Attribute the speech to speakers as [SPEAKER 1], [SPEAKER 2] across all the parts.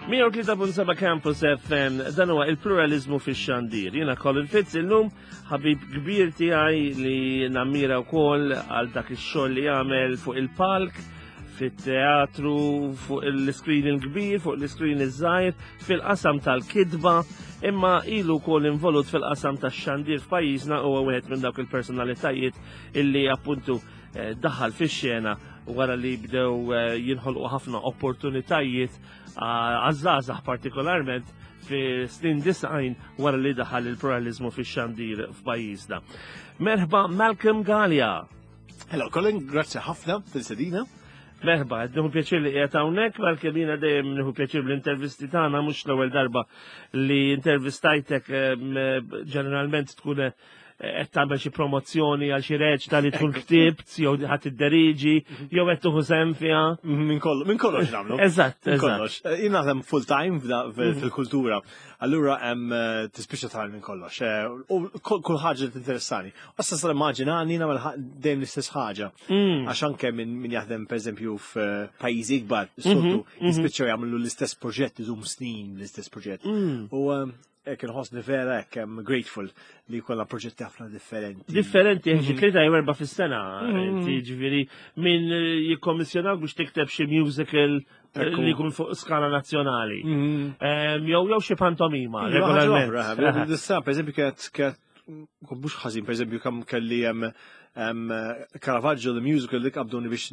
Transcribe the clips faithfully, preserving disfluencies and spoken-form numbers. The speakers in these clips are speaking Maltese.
[SPEAKER 1] mija u tlieta punt seba' Campus F M, dan huwa il-pluralizmu fix-xandir. Jiena Colin Fitz, illum ħabib kbir tiegħi li nammira wkoll għal dak ix-xogħol li jagħmel fuq il-palk, fit-teatru, fuq il-screen il-kbir, fuq l-screen iż-żgħir, fil-qasam tal-kidba, imma ilu wkoll involut fil-qasam tax-xandir f'pajjiżna. Huwa wieħed minn dawk il-personalitajiet illi appuntu eh, daħal fix-xena wara li bdew eh, jinħolqu ħafna opportunitajiet għaż-żgħażagħ, partikolarment fi snin disgħin, wara li daħal il-pluralizmu fix-xandir f'pajjiżna. Merħba, Malcolm Galea.
[SPEAKER 2] Hello, Colin, grazzi ħafna tal-istedina.
[SPEAKER 1] Merħba, nieħu pjaċir li qiegħed hawnhekk, Malcolm. Jiena dejjem nieħu pjaċir bl-intervisti tagħna, mhux l-ewwel darba li intervistajtek. Ġeneralment tkun eh, qed tagħmel xi promozzjoni għal xi reċta li tkun ktibt jew ħadd idderiġi jew qed tieħu sehem fiha.
[SPEAKER 2] Minn kollox, minn kollox nagħmlu.
[SPEAKER 1] Eżatt,
[SPEAKER 2] Minn
[SPEAKER 1] eżatt.
[SPEAKER 2] kollox. Eh, jien naħdem full time f'da- fil- fil-kultura. Allura hemm eh, tispiċċa tagħmel minn kollox. Eh, U kull kull ħaġa li tinteressani. Issa sal immaġinani nagħmel ħa- dejjem l-istess ħaġa.
[SPEAKER 1] Mm.
[SPEAKER 2] Għax anke minn min jaħdem, pereżempju, f'pajjiżi ikbar, soltu jispiċċaw jagħmlu l-istess proġett, idum snin l-istess proġett.
[SPEAKER 1] Mm.
[SPEAKER 2] U eh, hekk inħossni vera hekk I'm grateful li jkollna proġetti ħafna differenti.
[SPEAKER 1] Differenti, xi tlieta jew erba' fis-sena, inti ġifieri min eh, jikkommissjonak biex tikteb xi musical eh,
[SPEAKER 2] Ekku.
[SPEAKER 1] li jkun fuq skala nazzjonali.
[SPEAKER 2] Mhm.
[SPEAKER 1] Em, Jew jew xi pantomima,
[SPEAKER 2] Iva, ħaġa
[SPEAKER 1] regolarment.
[SPEAKER 2] oħra, Dissa, per eżempju, kienet kienet mhux ħażin, per eżempju, kam kelli hemm hemm Caravaggio the Musical li qabduni biex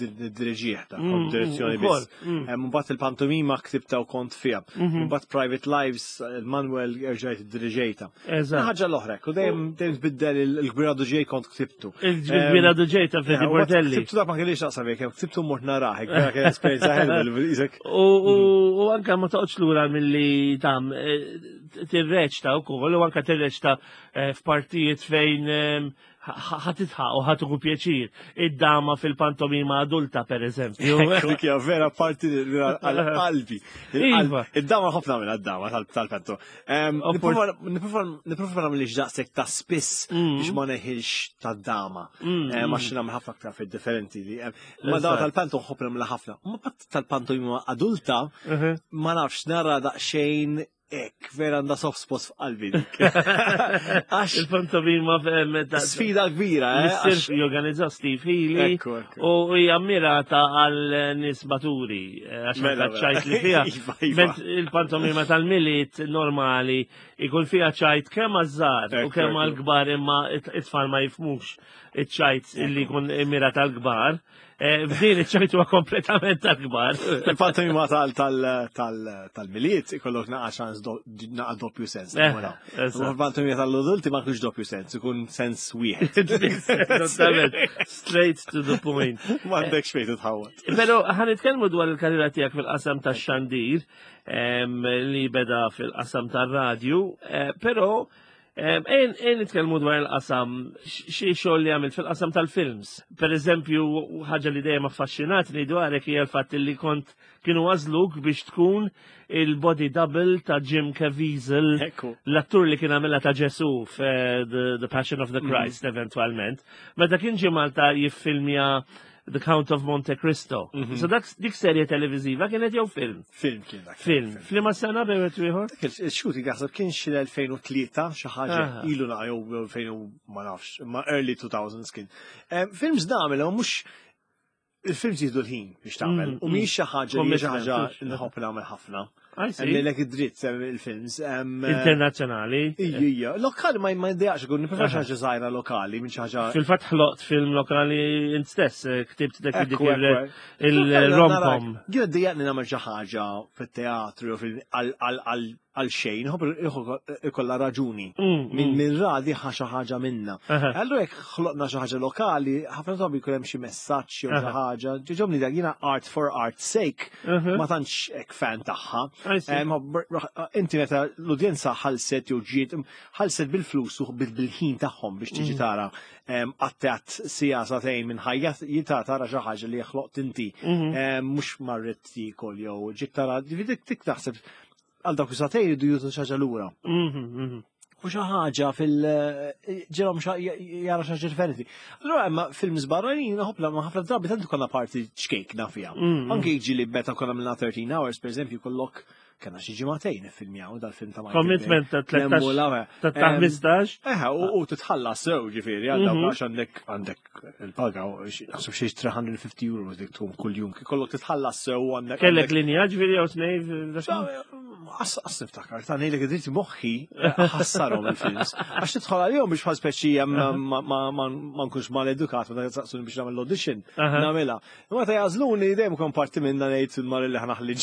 [SPEAKER 2] niddireġih ta'
[SPEAKER 1] Mm,
[SPEAKER 2] direzzjoni
[SPEAKER 1] mm, ukoll,
[SPEAKER 2] biss.
[SPEAKER 1] mm.
[SPEAKER 2] Hemm Mbagħad il-pantomima ktibta u kont fiha.
[SPEAKER 1] Mhm.
[SPEAKER 2] Mbagħad Private Lives, il-Manuel erġajt iddiriġejta.
[SPEAKER 1] Eżatt.
[SPEAKER 2] Ħaġa l-oħra, u dejjem dejjem tbiddel il-Kbira Ġej kont ktibtu.
[SPEAKER 1] Il-Kbira Ġej ta' Freddie Portelli.
[SPEAKER 2] Ktibtu, dak ma kellix naqsam jekk, ktibtu mort narah, vera kien esperjenza ħelwa, isek.
[SPEAKER 1] U u- u anka ma toqgħodx lura milli tam eh, tirreċta wkoll u anka tirreċta eh, f'partijiet fejn em, ħa tidħaq u ħa tieħu pjaċir. Id-dama fil-pantomima adulta, per eżempju.
[SPEAKER 2] Dik hija vera parti għal-qalbi.
[SPEAKER 1] Iva.
[SPEAKER 2] Id-dama ħafna minn għad-dama tal-panto.
[SPEAKER 1] Oppor-
[SPEAKER 2] Nipprova nagħmel daqshekk ta' spiss
[SPEAKER 1] Mm.
[SPEAKER 2] biex ma neħilx tad-dama.
[SPEAKER 1] Mm,
[SPEAKER 2] Eh, Ma
[SPEAKER 1] mm.
[SPEAKER 2] xi nagħmel ħafna aktar fid differenti li. em, Ma dama
[SPEAKER 1] Eżatt.
[SPEAKER 2] tal-panto nħobb nagħmilha ħafna. Ma pat tal-pantomima adulta
[SPEAKER 1] Mhm.
[SPEAKER 2] ma nafx, nara daqsxejn ek, vera għandha soft spot f'qalbi dik. Għax
[SPEAKER 1] Il-pantomima em, ta'
[SPEAKER 2] sfida kbira, eh? għax-
[SPEAKER 1] Mr. jorganizza Steve Healy
[SPEAKER 2] Ekku, ekku.
[SPEAKER 1] u hija mirata għal nies maturi, eh, għax
[SPEAKER 2] Mela,
[SPEAKER 1] anka
[SPEAKER 2] mela.
[SPEAKER 1] ċajt li fiha.
[SPEAKER 2] Iva, iva.
[SPEAKER 1] Ment il-pantomima tal-Milied normali ikun fiha ċajt kemm għaż-żgħar u
[SPEAKER 2] Ekku,
[SPEAKER 1] kemm
[SPEAKER 2] ekku.
[SPEAKER 1] għall-kbar, imma it-tfal ma jifhmux iċ-ċajt illi jkun mirat għall-kbar. Eh, F'din iċ-ċajt huwa kompletament tal-kbar.
[SPEAKER 2] Il-pantomima tal-Milied ikollok naqa ċans naqa doppju sens.
[SPEAKER 1] Eh, eżatt.
[SPEAKER 2] Il-pantomima tal-adulti ma kienx doppju sens, ikun sens wieħed.
[SPEAKER 1] Esattament. Straight to the point.
[SPEAKER 2] Ma għandekx fejn titħawat.
[SPEAKER 1] Pero ħa nitkellmu dwar il-karriera tiegħek fil-qasam tax-xandir em, li beda fil-qasam tar-radju, eh, però em, ejn ejn nitkellmu dwar il-qasam, xi xogħol li għamilt fil-qasam tal-films. Per eżempju, ħaġa li dejjem affaxxinatni dwarek hija l-fatt li kont kienu għażluk biex tkun il-body double ta' Jim Caviezel,
[SPEAKER 2] Ekku.
[SPEAKER 1] l-attur li kien għamilha ta' Ġesu f'The The Passion of the Christ eventualment. Meta kien ġie Malta jiffilmja The Count of Monte Cristo. So dak dik serje televiziva kienet jew film?
[SPEAKER 2] Film kien dak.
[SPEAKER 1] Film. F'liema sena bejn wieħed u ieħor?
[SPEAKER 2] Il-shooting naħseb kien xi l-elfejn u tlieta, xi ħaġa
[SPEAKER 1] Aha.
[SPEAKER 2] ilu naqa jew elfejn u ma nafx, ma early two thousands kien. Em, Films nagħmel, ma mhux il-films jieħdu l-ħin biex tagħmel.
[SPEAKER 1] Mm,
[SPEAKER 2] U mhix xi ħaġa li xi ħaġa
[SPEAKER 1] Commitment.
[SPEAKER 2] nħobb nagħmel ħafna.
[SPEAKER 1] I see.
[SPEAKER 2] Lek id-dritt em, il-films. em,
[SPEAKER 1] Internazzjonali.
[SPEAKER 2] Ija, ija. Lokali ma ma jdejaqx ikun, nipprefer xi ħaġa żgħira lokali minn xi ħaġa.
[SPEAKER 1] Fil-fatt ħloqt film lokali int stess, eh, ktibt dak dik
[SPEAKER 2] Ekku, ekku.
[SPEAKER 1] il-romcom.
[SPEAKER 2] Jien dejjaqni nagħmel xi ħaġa fit-teatru jew fil- għal- għal għal- għal xejn, ikollha ikollha raġuni.
[SPEAKER 1] Mm,
[SPEAKER 2] Min
[SPEAKER 1] mm.
[SPEAKER 2] min radi ħa xi ħaġa minna.
[SPEAKER 1] Aha.
[SPEAKER 2] Allura jekk ħloqna xi ħaġa lokali, ħafna drabi jkun hemm xi messaġġ jew xi
[SPEAKER 1] Aha.
[SPEAKER 2] ħaġa. Ġoġobni dak, jiena art for art's sake,
[SPEAKER 1] Mhm.
[SPEAKER 2] ma tantx hekk fan tagħha.
[SPEAKER 1] I see.
[SPEAKER 2] Em, Inti meta l-udjenza ħalset jew ġiet, ħalset bil-flus u bil- bil-ħin tagħhom biex tiġi
[SPEAKER 1] Mm.
[SPEAKER 2] tara em, għattat sija sagħtejn minn ħajja jita tara xi ħaġa li ħloqt inti.
[SPEAKER 1] Mhm.
[SPEAKER 2] Em, Mhux marret tikol jew ġiet tara, dik dik taħseb għal dawk is-sagħtejn jridu jutu xi ħaġa lura.
[SPEAKER 1] Mhm, mhm.
[SPEAKER 2] xi ħaġa fil ġelhom jara xi ħaġa differenti. Allura imma films barranin ħopla ma ħafna drabi tant konna parti ċkejkna fiha.
[SPEAKER 1] Mm,
[SPEAKER 2] Anke jiġi li meta konna minna thirteen Hours, per eżempju, kollok kena xi ġimagħtejn iffilmjaw dal-film ta' Michael Bay.
[SPEAKER 1] Commitment ta'
[SPEAKER 2] Nemmu
[SPEAKER 1] tlettax
[SPEAKER 2] l-għawe.
[SPEAKER 1] ta' ta'
[SPEAKER 2] Em,
[SPEAKER 1] ħmistax.
[SPEAKER 2] Eħe, u u titħallas sew ġifieri, għal dawk
[SPEAKER 1] Mhm.
[SPEAKER 2] għax għandek għandek il-paga, u xi- naħseb xi tliet mija u ħamsin euro dik tkun kuljum. Kollok titħallas sew u għandek.
[SPEAKER 1] Kellek
[SPEAKER 2] għandek-
[SPEAKER 1] linja ġifieri jew tnejn?
[SPEAKER 2] Għas għas niftakar, ta' ngħidlek id-dritt moħħi ħassarhom il-films. Għax tidħol għalihom biex bħal speċi ma ma- ma ma nkunx mal-edukat, meta saqsuni biex nagħmel l-audition,
[SPEAKER 1] Aha.
[SPEAKER 2] nagħmilha. Imma ta' jagħżluni dejjem kon parti minna ngħid il-mar li ħa naħli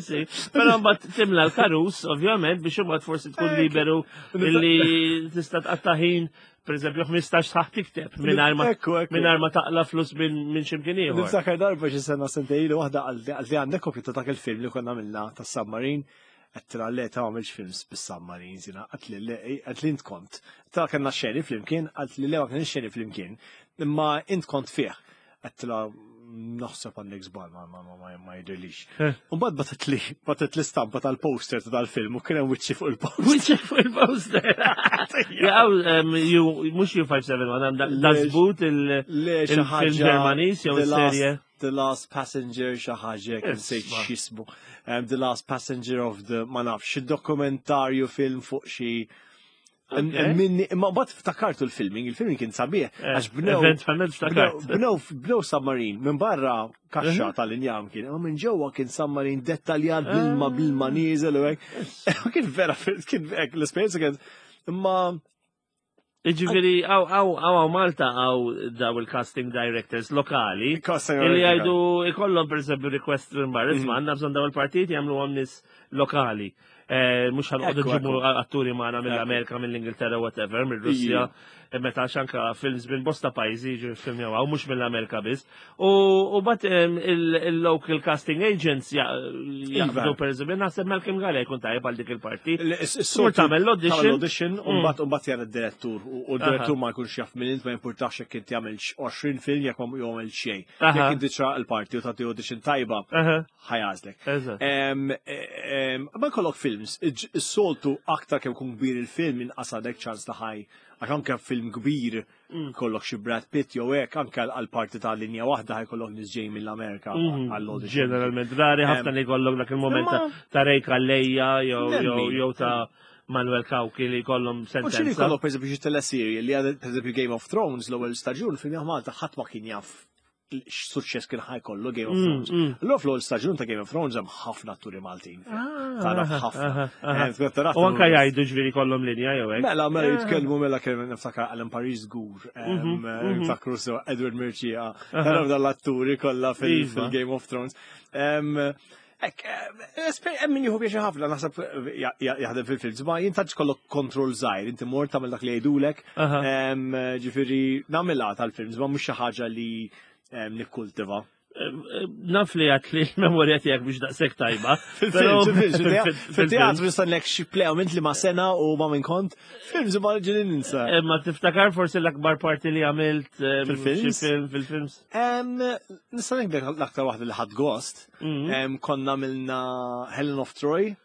[SPEAKER 1] Sì, però mbagħad timla l-karus, ovvjament, biex imbagħad forsi tkun
[SPEAKER 2] Eh,
[SPEAKER 1] liberu illi tista' tqatta' ħin, per eżempju, ħmistax sħaħ tikteb mingħajr ma
[SPEAKER 2] Ekku, ekku.
[SPEAKER 1] mingħajr ma taqla flus minn minn x'imkien ieħor.
[SPEAKER 2] Niftakar darba xi sena sentejn ilu waħda għal li għandek kopju ta' dak il-film li konna għamilna tas submarine għedtilha le ta' għamilx films bis-submarines jiena, għedtli le, għedtli int kont. Ta' kellna xeni flimkien, għedtli le ma kienx xeni flimkien, imma int kont fih. Għedtilha naħseb għandek żball ma ma ma ma ma jidhirlix.
[SPEAKER 1] Eh.
[SPEAKER 2] U mbagħad bagħtitli bagħtitli stampa tal-poster ta' dal-film u kien hemm wiċċi fuq il-poster.
[SPEAKER 1] Wiċċek fuq il-poster. Jaw, mhux U tliet ħamsa seba' wieħed, għandha Das Boot il-
[SPEAKER 2] Le xi
[SPEAKER 1] il-film
[SPEAKER 2] ħaġa
[SPEAKER 1] Ġermaniż jew
[SPEAKER 2] The Last-
[SPEAKER 1] serje.
[SPEAKER 2] The Last Passenger xi ħaġa kien sejt
[SPEAKER 1] Isma'.
[SPEAKER 2] x'ismu. Um, The Last Passenger of the ma nafx xi dokumentarju film fuq xi
[SPEAKER 1] Okay.
[SPEAKER 2] Minni, imma mbagħad ftakartu l-filming, il-filming kien sabiħ,
[SPEAKER 1] Eh,
[SPEAKER 2] għax bnew
[SPEAKER 1] Eventualment ftakart.
[SPEAKER 2] bnew bnew submarine minn barra kaxxa
[SPEAKER 1] Mhm.
[SPEAKER 2] tal-injam kien, imma minn ġewwa kien submarine dettaljat bl-ilma
[SPEAKER 1] Ah.
[SPEAKER 2] bl-ilma nieżel u hekk. Kien vera, kien hekk l-esperjenza kien imma
[SPEAKER 1] Iġifieri, għaw, għaw, għaw, għaw Malta għaw daw il-casting directors lokali.
[SPEAKER 2] Casting
[SPEAKER 1] Illi
[SPEAKER 2] director.
[SPEAKER 1] jgħidu ikollhom per eżempju request minn barra, isma' għandna bżonn daw il-partiti jagħmlu għam nies lokali. Eh, Mhux ħa noqogħdu
[SPEAKER 2] Ekku,
[SPEAKER 1] nġibu
[SPEAKER 2] ekku.
[SPEAKER 1] atturi magħna mill-Amerika, mill-Ingilterra, whatever, mill-Russja. Eh, Meta xanka films minn bosta pajjiżi jiġu filmjaw għaw, mhux mill-Amerika biss. U u bat em, il- il-local casting agents ja- jaqbdu per eżempju, naħseb Malcolm Galea jkun tajjeb għal dik il-parti.
[SPEAKER 2] Tmur
[SPEAKER 1] tagħmel l-audition.
[SPEAKER 2] Tagħmel l-audition, u
[SPEAKER 1] Mm.
[SPEAKER 2] mbagħad u mbagħad jara d-direttur. U u d-direttur ma jkunx jaf minn int ma jimpurtax jekk inti għamil għoxrin film jekk ma jagħmel xejn.
[SPEAKER 1] Aha.
[SPEAKER 2] Jekk inti ċraq il-parti u tagħti audition tajba,
[SPEAKER 1] Aha,
[SPEAKER 2] ħa jagħżlek.
[SPEAKER 1] eżatt.
[SPEAKER 2] Em, em, Ma jkollok films, is-soltu aktar kemm kun kbir il-film inqas għandek ċans ta' ħaj. Għax anke film kbir
[SPEAKER 1] Mm.
[SPEAKER 2] kollok xi Brad Pitt jew hekk anke għal parti ta' linja waħda ħa jkollok nies ġej mill-Amerika
[SPEAKER 1] Mhm.
[SPEAKER 2] għall-audition.
[SPEAKER 1] Ġeneralment, rari ħafna
[SPEAKER 2] Em,
[SPEAKER 1] li jkollok dak il-moment ta'
[SPEAKER 2] imma-
[SPEAKER 1] ta' Ray Calleja jew jew
[SPEAKER 2] Nemmin.
[SPEAKER 1] jew ta' Manuel Cauchi li jkollhom
[SPEAKER 2] U xini
[SPEAKER 1] sentenza.
[SPEAKER 2] kollok per eżempju xi teleserje li għad per eżempju Game of Thrones l-ewwel staġun film Malta ħadd ma kien jaf x'suċċess kien ħa jkollu Game of
[SPEAKER 1] Mm,
[SPEAKER 2] Thrones.
[SPEAKER 1] mm.
[SPEAKER 2] Allura fl-ewwel staġun ta' Game of Thrones hemm ħafna atturi Maltin.
[SPEAKER 1] Ah,
[SPEAKER 2] Tara
[SPEAKER 1] aha,
[SPEAKER 2] ħafna.
[SPEAKER 1] aha, aha.
[SPEAKER 2] Eh, tkun tarat-
[SPEAKER 1] U anka jgħidu ġifieri kollhom linja jew hekk.
[SPEAKER 2] Mela, mela
[SPEAKER 1] Ah.
[SPEAKER 2] jitkellmu mela kemm niftakar Alan Paris żgur,
[SPEAKER 1] Mhm, mhm.
[SPEAKER 2] niftakru so Edward Mercieca,
[SPEAKER 1] Aha.
[SPEAKER 2] tara dal-atturi kollha fil-
[SPEAKER 1] Iva.
[SPEAKER 2] fil-Game of Thrones. Em, Ek, hemm min jieħu pjaċir ħafna naħseb ja- ja- jaħdem fil-films, ma jintaġ kollok kontroll żgħir, inti mort tagħmel dak li jgħidulek,
[SPEAKER 1] Aha.
[SPEAKER 2] em, ġifieri nagħmilha tal-films, ma mhux xi ħaġa li em, nikkultiva.
[SPEAKER 1] Naf li għat li l-memorja tiegħek biex daqshekk tajba.
[SPEAKER 2] Fil-films,
[SPEAKER 1] però-
[SPEAKER 2] fil-films, fil-teatru nista' lek xi play għamilt li ma sena u ma minn kont, films ma ġili ninsa.
[SPEAKER 1] Eh, Ma tiftakar forsi l-akbar parti li għamilt eh,
[SPEAKER 2] Fil-films?
[SPEAKER 1] xi film fil-films?
[SPEAKER 2] Em, Nista' ngħidlek l-aktar waħda li ħadd gost.
[SPEAKER 1] Mhm.
[SPEAKER 2] Em, Konna għamilna Helen of Troy.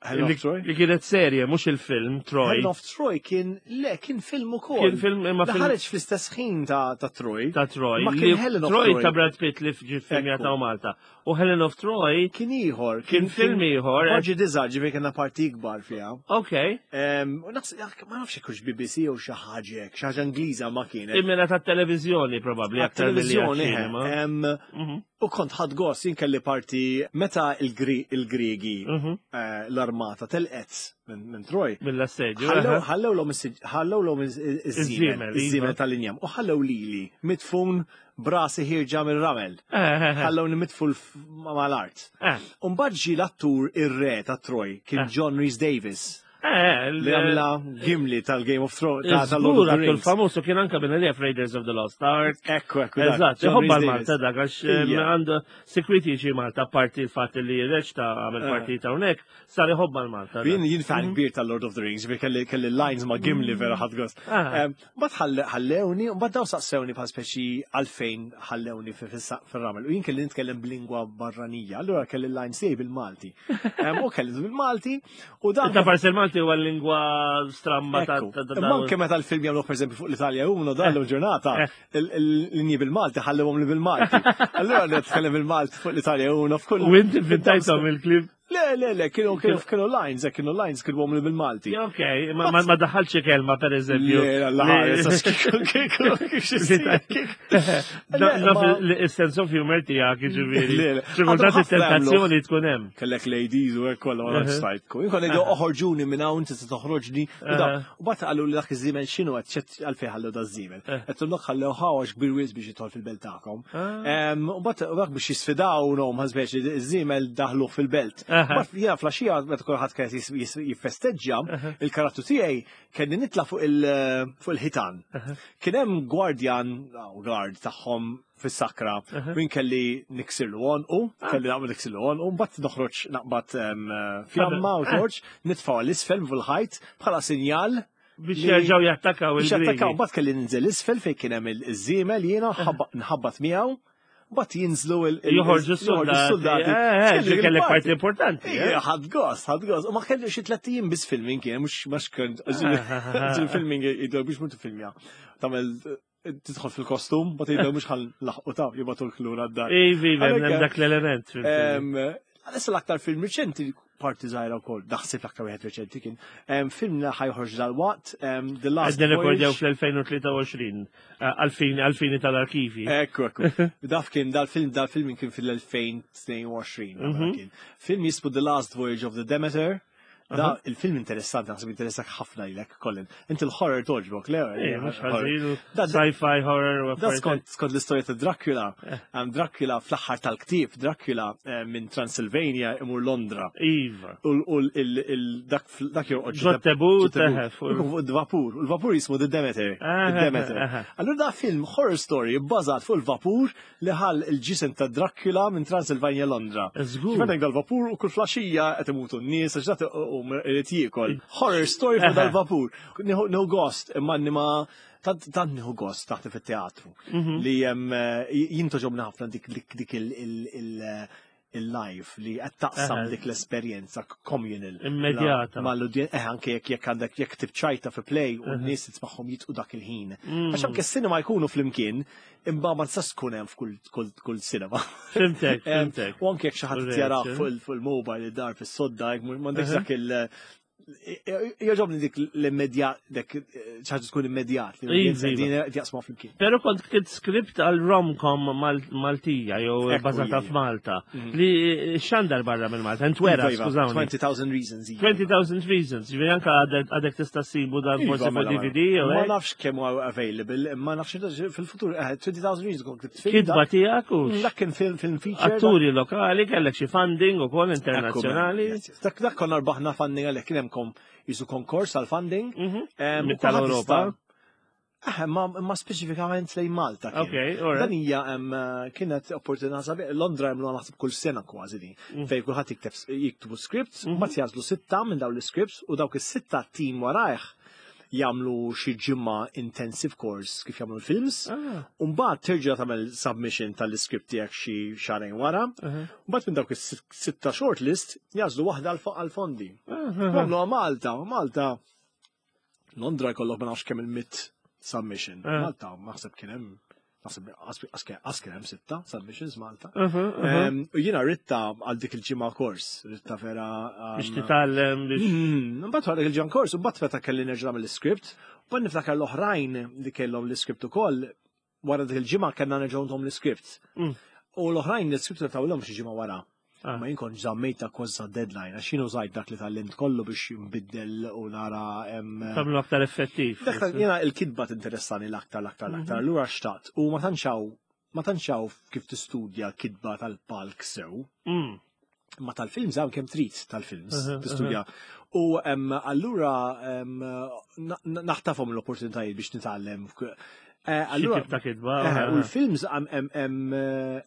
[SPEAKER 2] Helen
[SPEAKER 1] Li
[SPEAKER 2] of Troy?
[SPEAKER 1] li kienet serje, mhux il-film, Troy.
[SPEAKER 2] Helen of Troy kien, le, kien film ukoll.
[SPEAKER 1] Kien film imma
[SPEAKER 2] Li
[SPEAKER 1] film
[SPEAKER 2] ħareġ fl-istess ħin ta' ta' Troy.
[SPEAKER 1] ta' Troy.
[SPEAKER 2] Ma
[SPEAKER 1] Li
[SPEAKER 2] kien Helen of
[SPEAKER 1] Troy
[SPEAKER 2] Troy.
[SPEAKER 1] ta' Brad Pitt li ġi film
[SPEAKER 2] Ekku.
[SPEAKER 1] ta' Malta. U Helen of Troy
[SPEAKER 2] Kien ieħor.
[SPEAKER 1] kien film ieħor. eh,
[SPEAKER 2] Budget iżgħar ġifieri kellna parti ikbar fiha.
[SPEAKER 1] Ok.
[SPEAKER 2] Em, u naħseb- ma nafx hekk hux B B C jew xi ħaġa hekk, xi ħaġa Ingliża ma kienet.
[SPEAKER 1] Immena ta' televizjoni probabbli aktar milli
[SPEAKER 2] Televizjoni,
[SPEAKER 1] għax-ċinema.
[SPEAKER 2] em,
[SPEAKER 1] Mhm,
[SPEAKER 2] u kont ħadd gost jien kelli parti meta il-Gri- il-Griegi
[SPEAKER 1] mhm.
[SPEAKER 2] eh, l-armata telqet minn minn Troy.
[SPEAKER 1] Mill-assedju.
[SPEAKER 2] Ħallew
[SPEAKER 1] aha.
[SPEAKER 2] ħallew l-om ħallew l-om iż-żiemel,
[SPEAKER 1] Iż-żiemel,
[SPEAKER 2] iż-żiemel
[SPEAKER 1] iva.
[SPEAKER 2] tal-injam. U ħallew lili mitfun brasi ħierġa mir-ramel.
[SPEAKER 1] Eh, eh, eh,
[SPEAKER 2] Ħallewni mitfun f- mal-art.
[SPEAKER 1] eh,
[SPEAKER 2] Umbagħad ġie l-attur ir-re ta' Troy kien
[SPEAKER 1] Eh.
[SPEAKER 2] John Rhys Davies
[SPEAKER 1] eh,
[SPEAKER 2] li għamla Gimli tal-Game of Thrones ta' tal-Lord of
[SPEAKER 1] Żgur,
[SPEAKER 2] the
[SPEAKER 1] attur
[SPEAKER 2] Rings.
[SPEAKER 1] famuż u kien anka minn li Raiders of the Lost Ark.
[SPEAKER 2] Ekku, ekku. dak,
[SPEAKER 1] Eżatt,
[SPEAKER 2] John
[SPEAKER 1] iħobba
[SPEAKER 2] Rhys
[SPEAKER 1] l-Malta
[SPEAKER 2] Davies.
[SPEAKER 1] dak, għax eh,
[SPEAKER 2] Ija.
[SPEAKER 1] għandu security ġi Malta, parti l-fatt li reċta għamel
[SPEAKER 2] Eh.
[SPEAKER 1] parti ta' hawnhekk, sar iħobba l-Malta. dak.
[SPEAKER 2] Jien jien fan kbir tal-Lord of the Rings, ġifieri kelli kelli lines ma' Gimli vera ħadd gost.
[SPEAKER 1] Ah.
[SPEAKER 2] Em, Mbagħad ħallewni, mbagħad daw saqsewni bħal speċi għalfejn ħallewni fi- fis- fir-ramel. U jien kelli nitkellem b'lingwa barranija, allura kelli lines tiegħi bil-Malti. Em, U kelli bil-Malti u dan
[SPEAKER 1] Inta parsi l-Malti Il-Malti huwa lingwa stramba ta'
[SPEAKER 2] Ekku.
[SPEAKER 1] ta' ta'
[SPEAKER 2] Imma anke meta l-film jagħmlu, pereżempju, fuq l-Italja Uno dan ġurnata,
[SPEAKER 1] Eh.
[SPEAKER 2] il-linji bil-Malti ħallewhom li bil-Malti. Allura li tkellem il-Malti fuq l-Italja Uno f'kull.
[SPEAKER 1] U inti vvintajthom il-kliem.
[SPEAKER 2] Le, le, le, kienu kienu kienu lines, eh, kienu lines kienu li bil-Malti.
[SPEAKER 1] Ok, ma ma- ma daħħalx kelma, per eżempju.
[SPEAKER 2] Le, la, la,
[SPEAKER 1] Naf
[SPEAKER 2] ma-
[SPEAKER 1] il-sense of humor tiegħek, jiġifieri.
[SPEAKER 2] Le, le.
[SPEAKER 1] Xi kultant
[SPEAKER 2] Għadhom ħafna
[SPEAKER 1] it-tentazzjoni tkun hemm.
[SPEAKER 2] Kellek ladies u hekk kollha ma stajtku. Jien kont ngħidu oħorġuni minn hawn, tista' toħroġni. U da-
[SPEAKER 1] Aha.
[SPEAKER 2] U mbagħad qalu li dak iż-żiemel x'inhu qed ċett għalfejn ħallu da żiemel. Qed dak ħallew ħawax kbir wisq biex jidħol fil-belt tagħkom.
[SPEAKER 1] Ah.
[SPEAKER 2] Em, U mbagħad dak biex jisfidaw nom ħasbex li iż-żiemel daħluh fil-belt.
[SPEAKER 1] Aha.
[SPEAKER 2] Mbagħad jiena flaxija meta kulħadd kien jis- jis- jiffesteġġja, il-karattru tiegħi kelli nitla' fuq il- fuq il-ħitan. Kien hemm gwardjan, aw, guard tagħhom fis-sakra, min kelli niksirlu għonqu, kelli naqbad niksirlu għonqu, mbagħad noħroġ naqbad em, fjamma u torch, nitfgħu l-isfel fuq il-ħajt bħala sinjal
[SPEAKER 1] Biex
[SPEAKER 2] li-
[SPEAKER 1] jerġgħu jattakaw
[SPEAKER 2] biex jattakaw.
[SPEAKER 1] il-Griegi.
[SPEAKER 2] Mbagħad kelli ninżel isfel fejn kien hemm il-żiemel jiena nħabba- nħabbat miegħu, mbagħad jinżlu il- il-
[SPEAKER 1] Joħorġu s-soldati. Eh, eh, ġi kellek parti importanti. eh.
[SPEAKER 2] Ija, ħadt gost, ħadt gost. U ma kelli xi tlett ijiem biss filming kien, mhux mhux kont il-filming jgħidu biex mhux tifilmja. Tagħmel tidħol fil-kostum, but jgħidu mhux ħa nlaħħqu ta' jibagħtu l-lura d-dar.
[SPEAKER 1] Ivi, hemm
[SPEAKER 2] Għalhekk,
[SPEAKER 1] dak l-element fil-film.
[SPEAKER 2] Em, Għalissa l-aktar film reċenti, parti żgħira wkoll, naħseb l-aktar wieħed reċenti kien, em, film li ħa joħroġ dal-waqt, em, The Last
[SPEAKER 1] Għedna rekordjaw
[SPEAKER 2] Voyage.
[SPEAKER 1] fl-elfejn u tlieta u għoxrin, eh, għalfini għalfini tal-arkivi.
[SPEAKER 2] Ekku, ekku. Daf kien, dal-film, dal-film kien fil-elfejn u tnejn u għoxrin.
[SPEAKER 1] Mhm.
[SPEAKER 2] Kien. Film jismu The Last Voyage of the Demeter. Da, il-film interessanti, naħseb interessak ħafna lilek, Colin. Inti l-horror togħġbok, le?
[SPEAKER 1] Eh, mhux ħażin,
[SPEAKER 2] Da-
[SPEAKER 1] sci-fi horror u
[SPEAKER 2] Da
[SPEAKER 1] affarijiet.
[SPEAKER 2] skont skont l-istorja ta' Dracula. Um, Dracula fl-aħħar tal-ktieb, Dracula eh, minn Transylvania imur Londra.
[SPEAKER 1] Iva.
[SPEAKER 2] U u l- il- dak dak jorqod
[SPEAKER 1] Ġo tebut,
[SPEAKER 2] ġo tebut.
[SPEAKER 1] eħe, fuq-
[SPEAKER 2] Ikun fuq il-vapur. U l-vapur jismu The Demeter.
[SPEAKER 1] Aha,
[SPEAKER 2] The Demeter.
[SPEAKER 1] aha.
[SPEAKER 2] Allura da film horror story bbażat fuq il-vapur li ħall il-ġisem ta' Dracula minn Transylvania Londra.
[SPEAKER 1] Żgur.
[SPEAKER 2] Kif dal-vapur u kull flaxija qed imutu n-nies għax dak u irid jiekol. Horror story fuq
[SPEAKER 1] Aha.
[SPEAKER 2] dal-vapur. Nieħu nieħu gost imma ma tant tant nieħu gost taħt fit-teatru
[SPEAKER 1] Mhm.
[SPEAKER 2] li hemm jien togħġobni ħafna dik dik dik il- il- il- il-live li qed taqsam
[SPEAKER 1] Aha.
[SPEAKER 2] dik l-esperjenza communal.
[SPEAKER 1] Immedjata.
[SPEAKER 2] Mal-udjen, eh, anke jekk jekk għandek jekk tibċajta fi play u n-nies tismagħhom jidħku dak il-ħin.
[SPEAKER 1] Mm.
[SPEAKER 2] Għax anke s-cinema jkunu flimkien, imma ma tistax tkun hemm f'kull kull kull cinema.
[SPEAKER 1] Fhimtek,
[SPEAKER 2] Em,
[SPEAKER 1] fhimtek.
[SPEAKER 2] U anke jekk xi ħadd
[SPEAKER 1] Correct,
[SPEAKER 2] jara
[SPEAKER 1] eh.
[SPEAKER 2] fuq il- fuq il-mobile id-dar fis-sodda, jekk m'għandekx
[SPEAKER 1] Aha.
[SPEAKER 2] dak il- Jogħġobni dik l-immedjat, dik xi ħaġa tkun immedjat, li
[SPEAKER 1] Iva, iva.
[SPEAKER 2] din jaqsmu flimkien.
[SPEAKER 1] Pero kont ktibt script għal romcom Mal- Maltija jew
[SPEAKER 2] Ekku,
[SPEAKER 1] bazata
[SPEAKER 2] ija.
[SPEAKER 1] f'Malta li xandar barra minn Malta, ntwera,
[SPEAKER 2] Iva, iva,
[SPEAKER 1] skużawni.
[SPEAKER 2] twenty thousand Reasons. Iva.
[SPEAKER 1] twenty thousand Reasons, ġifieri anka għadek għadek tista' ssibu dan
[SPEAKER 2] Iva,
[SPEAKER 1] forsi fuq
[SPEAKER 2] mela, mela.
[SPEAKER 1] D V D jew
[SPEAKER 2] Ma
[SPEAKER 1] hekk.
[SPEAKER 2] nafx kemm huwa available, ma nafx fil-futur, eh, twenty thousand Reasons kont ktibt film.
[SPEAKER 1] Kitba
[SPEAKER 2] dak-
[SPEAKER 1] tiegħek u
[SPEAKER 2] Dak kien film film feature.
[SPEAKER 1] atturi lokali, kellek xi funding ukoll
[SPEAKER 2] Ekku,
[SPEAKER 1] internazzjonali.
[SPEAKER 2] mela, yes, yes. Dak dak konna rbaħna funding għalhekk kien hemm kom jisu konkors għal funding.
[SPEAKER 1] Mhm.
[SPEAKER 2] Em,
[SPEAKER 1] Mit
[SPEAKER 2] u kulħadd
[SPEAKER 1] tal-Ewropa.
[SPEAKER 2] jista' Eh, ma, ma speċifikament lejn Malta kien.
[SPEAKER 1] Ok, all right.
[SPEAKER 2] Dan hija em, kienet opportunità sabiħ. Londra jagħmlu naħseb kull sena kważi din.
[SPEAKER 1] Mm.
[SPEAKER 2] Fejn kulħadd jikteb jiktbu scripts,
[SPEAKER 1] Mhm.
[SPEAKER 2] mm mbagħad jagħżlu sitta minn dawn l-scripts u dawk is-sitta team warajh jagħmlu xi ġimgħa intensive course kif jagħmlu l-films.
[SPEAKER 1] Ah.
[SPEAKER 2] U mbagħad terġa' tagħmel submission tal-script tiegħek xi xahrejn wara.
[SPEAKER 1] Uh-huh.
[SPEAKER 2] Mbagħad minn dawk is-sitta shortlist jagħżlu waħda għal- għal-fondi.
[SPEAKER 1] Uh-huh.
[SPEAKER 2] Għamlu Malta, Malta. Londra jkollok ma nafx kemm il-mitt submission.
[SPEAKER 1] Ah.
[SPEAKER 2] Malta naħseb kien hemm naħseb qas kien hemm sitta submissions Malta.
[SPEAKER 1] Uh-huh, uh-huh.
[SPEAKER 2] Em, U jiena ridtha għal dik il-ġimgħa kors, ridtha vera. um,
[SPEAKER 1] Biex titgħallem biex.
[SPEAKER 2] Mm, Mbagħad wara dik il-ġimgħa kors, u mbagħad meta kelli nerġa' nagħmel l-script, u niftakar l-oħrajn li kellhom l-script ukoll, wara dik il-ġimgħa kellna nerġgħu nagħtuhom l-script.
[SPEAKER 1] Mm.
[SPEAKER 2] U l-oħrajn l-script tawlhom xi ġimgħa wara.
[SPEAKER 1] Ah.
[SPEAKER 2] Ma jien kont żammejta kważi deadline, għax jien użajt dak li tgħallimt kollu biex nbiddel u nara em,
[SPEAKER 1] Tagħmlu aktar effettiv.
[SPEAKER 2] Dak ta' jiena il-kitba tinteressani l-aktar, l-aktar, l-aktar. Allura xtaqt. U ma tantx hawn ma tantx hawn kif tistudja kitba tal-palk sew.
[SPEAKER 1] Mm.
[SPEAKER 2] Ma tal-films hawn kemm trid tal-films
[SPEAKER 1] Uh-huh,
[SPEAKER 2] tistudja. U em, allura em, na- na- naħtafhom l-opportunitajiet biex nitgħallem. Eh,
[SPEAKER 1] Xi
[SPEAKER 2] Allura
[SPEAKER 1] tip ta' kitba.
[SPEAKER 2] Eh,
[SPEAKER 1] ah,
[SPEAKER 2] u l-films hemm hemm